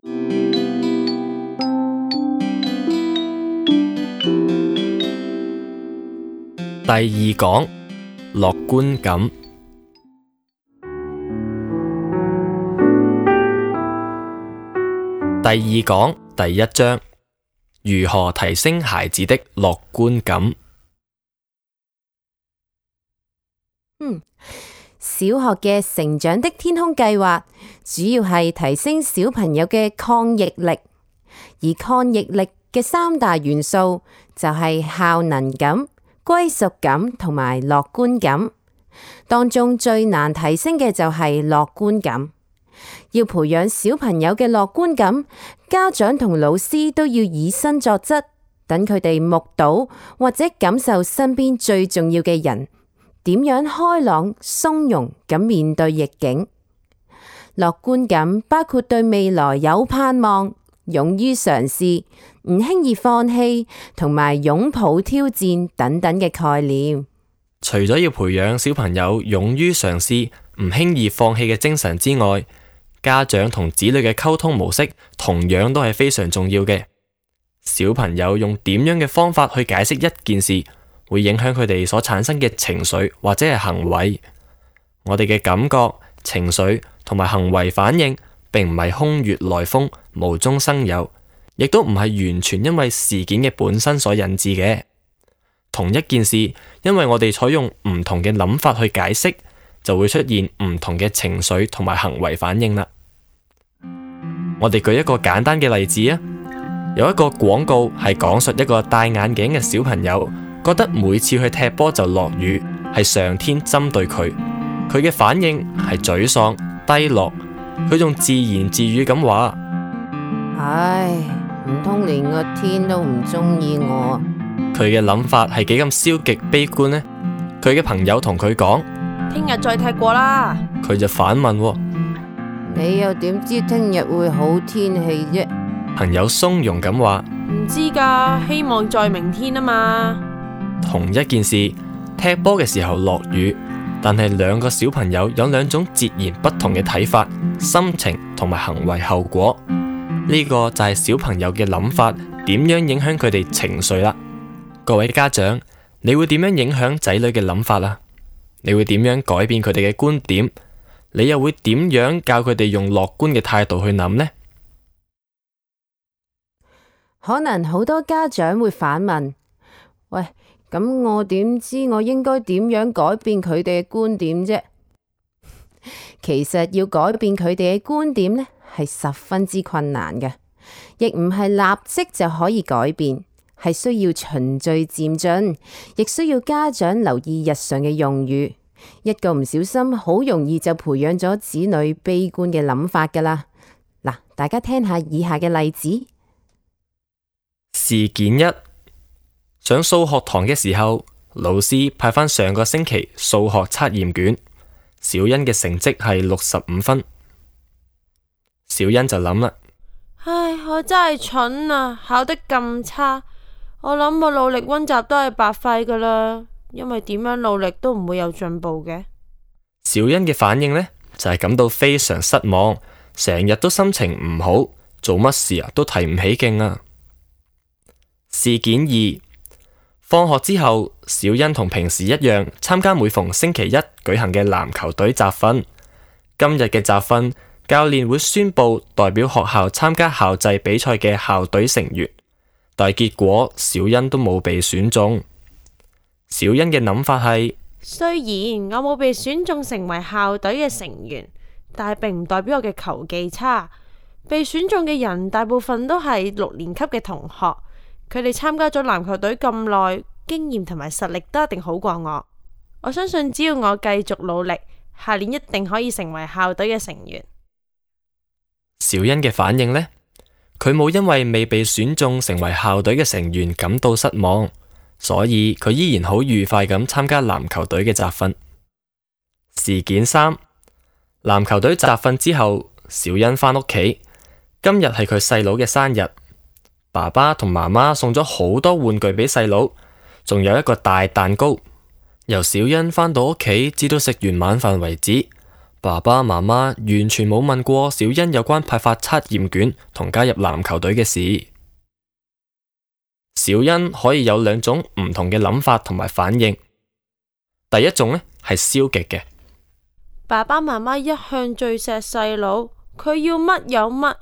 第二講，樂觀感。第二講第一章，如何提升孩子的樂觀感。小學嘅成長的天空計劃主要係提升小朋友嘅抗逆力，而抗逆力嘅三大元素就係效能感、歸屬感同埋樂觀感。當中最難提升嘅就係樂觀感。要培養小朋友嘅樂觀感，家長同老師都要以身作則，等佢哋目睹或者感受身邊最重要嘅人點樣開朗鬆容咁面對逆境。樂觀感包括對未來有盼望、勇於嘗試、唔輕易放棄同埋擁抱挑戰等等嘅概念。除咗要培養小朋友勇於嘗試、唔輕易放棄嘅精神之外，家長同子女嘅溝通模式同樣都係非常重要嘅。小朋友用點樣嘅方法去解釋一件事，會影響佢哋所產生嘅情緒或者係行為。我哋嘅感覺、情緒同埋行為反應，並唔係空穴來風、無中生有，亦都唔係完全因為事件嘅本身所引致嘅。同一件事，因為我哋採用唔同嘅諗法去解釋，就會出現唔同嘅情緒同埋行為反應啦。我哋舉一個簡單嘅例子啊，有一個廣告係講述一個戴眼鏡嘅小朋友，覺得每次去踢波就落雨，係上天針對佢。佢嘅反應係沮喪、低落，佢仲自言自語咁話：唉，唔通連個天都唔中意我？佢嘅諗法係幾咁消極悲觀呢？佢嘅朋友同佢講：聽日再踢過啦。佢就反問：你又點知聽日會好天氣啫？朋友鬆容咁話：唔知噶，希望在明天啊嘛。同一件事，踢波嘅時候落雨，但係兩個小朋友有兩種截然不同嘅睇法、心情同埋行為後果。呢個就係小朋友嘅諗法點樣影響佢哋情緒啦。各位家長，你會點樣影響仔女嘅諗法啊？你會點樣改變佢哋嘅觀點？你又會點樣教佢哋用樂觀嘅態度去諗呢？可能好多家長會反問：喂，咁我點知我應該點樣改變佢哋嘅觀點啫？其實要改變佢哋嘅觀點呢，係十分之困難嘅，亦唔係立即就可以改變，係需要循序漸進，亦需要家長留意日常嘅用語。一個唔小心，好容易就培養咗子女悲觀嘅諗法噶啦。嗱，大家聽下以下嘅例子。事件一，上數學堂嘅時候，老師派返上個星期數學測驗卷，小欣嘅成績係65分。小欣就諗啦：唉，我真係蠢啊，考得咁差，我諗我努力溫習都係白費噶啦，因為點樣努力都唔會有進步嘅。小欣嘅反應呢，就係感到非常失望，成日都心情唔好，做乜事啊都提唔起勁啊。事件二，放學之後，小欣同平時一樣參加每逢星期一舉行嘅籃球隊集訓。今日嘅集訓，教練會宣布代表學校參加校際比賽嘅校隊成員，但係結果小欣都冇被選中。小欣嘅諗法係：雖然我冇被選中成為校隊嘅成員，但係並唔代表我嘅球技差。被選中嘅人大部分都係6年級嘅同學，佢哋參加咗籃球隊咁耐，經驗同埋實力都一定好過我。我相信只要我繼續努力，下年一定可以成為校隊嘅成員。小欣嘅反應呢？佢冇因為未被選中成為校隊嘅成員感到失望，所以佢依然好愉快咁參加籃球隊嘅集訓。事件三，籃球隊集訓之後，小欣返屋企，今日係佢細佬嘅生日，爸爸同媽媽送咗好多玩具俾細佬，仲有一個大蛋糕。由小欣返到屋企至到食完晚飯為止，爸爸媽媽完全冇問過小欣有關派發測驗卷同加入籃球隊嘅事。小欣可以有兩種唔同嘅諗法同埋反應。第一種呢係消極嘅，爸爸媽媽一向最錫細佬，佢要乜有乜。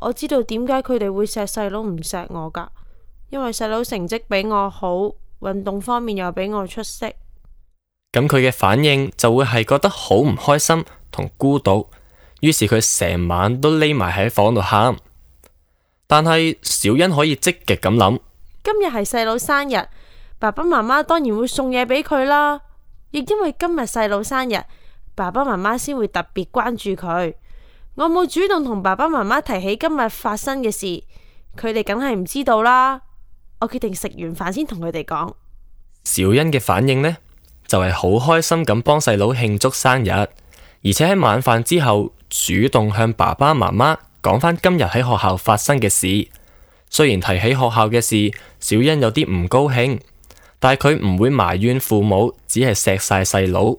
我知道點解佢哋會錫細佬唔錫我㗎，因為細佬成績比我好，運動方面又比我出色。咁佢嘅反應就會係覺得好唔開心同孤獨，於是佢成晚都匿埋喺房度喊。但係小欣可以積極咁諗，今日係細佬生日，爸爸媽媽當然會送嘢俾佢啦。亦因為今日細佬生日，爸爸媽媽先會特別關注佢。我冇主動同爸爸媽媽提起今日發生嘅事，佢哋梗係唔知道啦。我決定食完飯先同佢哋講。小欣嘅反應呢，就係好開心咁幫細佬慶祝生日，而且喺晚飯之後主動向爸爸媽媽講返今日喺學校發生嘅事。雖然提起學校嘅事，小欣有啲唔高興，但係佢唔會埋怨父母，只係錫晒細佬。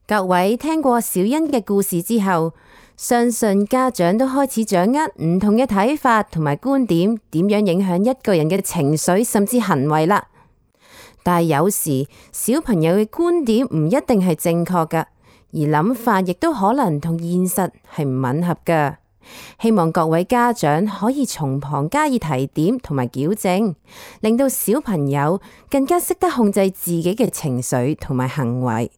各位聽過小欣嘅故事之後，相信家長都開始掌握唔同嘅睇法同埋觀點，點樣影響一個人嘅情緒甚至行為啦。但係有時小朋友嘅觀點唔一定係正確㗎，而諗法亦都可能同現實係唔吻合㗎。希望各位家長可以從旁加以提點同埋矯正，令到小朋友更加識得控制自己嘅情緒同埋行為。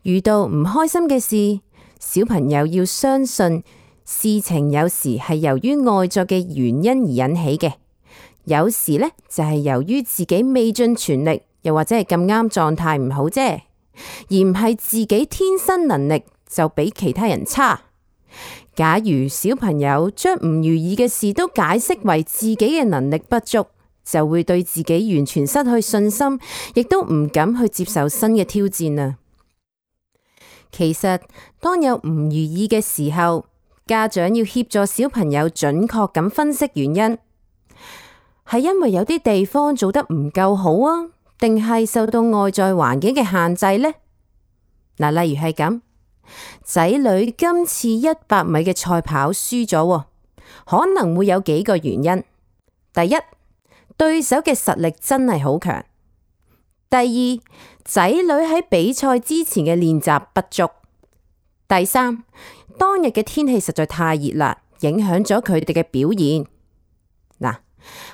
遇到唔開心嘅事，小朋友要相信事情有時係由於外在嘅原因而引起嘅，有時呢就係由於自己未盡全力，又或者係咁啱狀態唔好啫，而唔係自己天生能力就比其他人差。假如小朋友將唔如意嘅事都解釋為自己嘅能力不足，就會對自己完全失去信心，亦都唔敢去接受新嘅挑戰啊！其實當有唔如意嘅時候，家長要協助小朋友準確咁分析原因，係因為有啲地方做得唔夠好啊，定係受到外在環境嘅限制呢？例如係咁，仔女今次100米嘅賽跑輸咗，可能會有幾個原因。第一，對手嘅實力真係好強。第二，仔女喺比賽之前嘅練習不足。第三，當日嘅天氣實在太熱啦，影響咗佢哋嘅表現。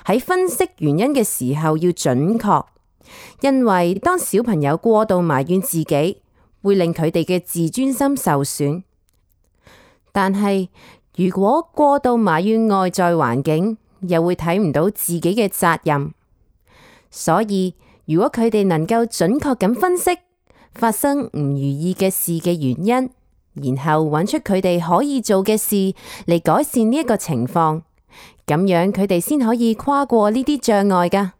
喺分析原因嘅時候要準確，因為當小朋友過度埋怨自己，會令佢哋嘅自尊心受損。但係如果過度埋怨外在環境，又會睇唔到自己嘅責任。所以如果佢哋能夠準確咁分析發生唔如意嘅事嘅原因，然後揾出佢哋可以做嘅事嚟改善呢一個情況，咁樣佢哋先可以跨過呢啲障礙㗎。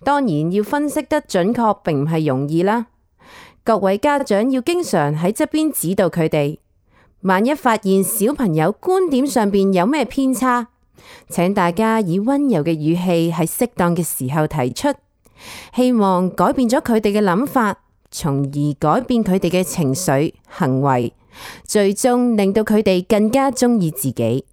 當然要分析得準確並唔係容易啦，各位家長要經常喺側邊指導佢哋。萬一發現小朋友觀點上邊有咩偏差，請大家以溫柔嘅語氣喺適當嘅時候提出，希望改變咗佢哋嘅諗法，從而改變佢哋嘅情緒、行為，最終令到佢哋更加鍾意自己。